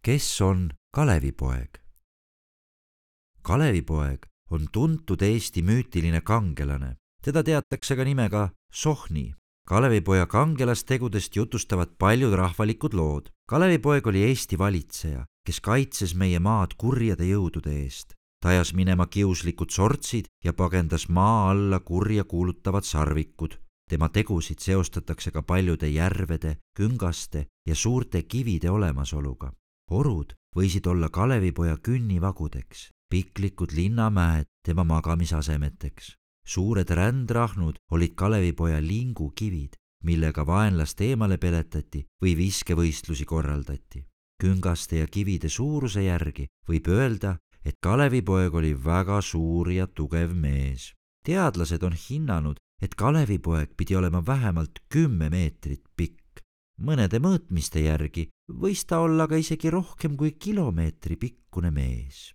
Kes on Kalevipoeg? Kalevipoeg on tuntud Eesti müütiline kangelane. Teda teatakse ka nimega Sohni. Kalevipoja kangelastegudest jutustavad paljud rahvalikud lood. Kalevipoeg oli Eesti valitseja, kes kaitses meie maad kurjade jõudude eest. Ta ajas minema kiuslikud sortsid ja pagendas maa alla kurja kuulutavad sarvikud. Tema tegusid seostatakse ka paljude järvede, küngaste ja suurte kivide olemasoluga. Orud võisid olla Kalevipoja künnivagudeks, piklikud linnamäed tema magamisasemeteks. Suured rändrahnud olid Kalevipoja lingukivid, millega vaenlast eemale peletati või viskevõistlusi korraldati. Küngaste ja kivide suuruse järgi võib öelda, et Kalevipoeg oli väga suur ja tugev mees. Teadlased on hinnanud, et Kalevipoeg pidi olema vähemalt 10 meetrit pikk. Mõnede mõõtmiste järgi võis ta olla ka isegi rohkem kui kilomeetri pikkune mees.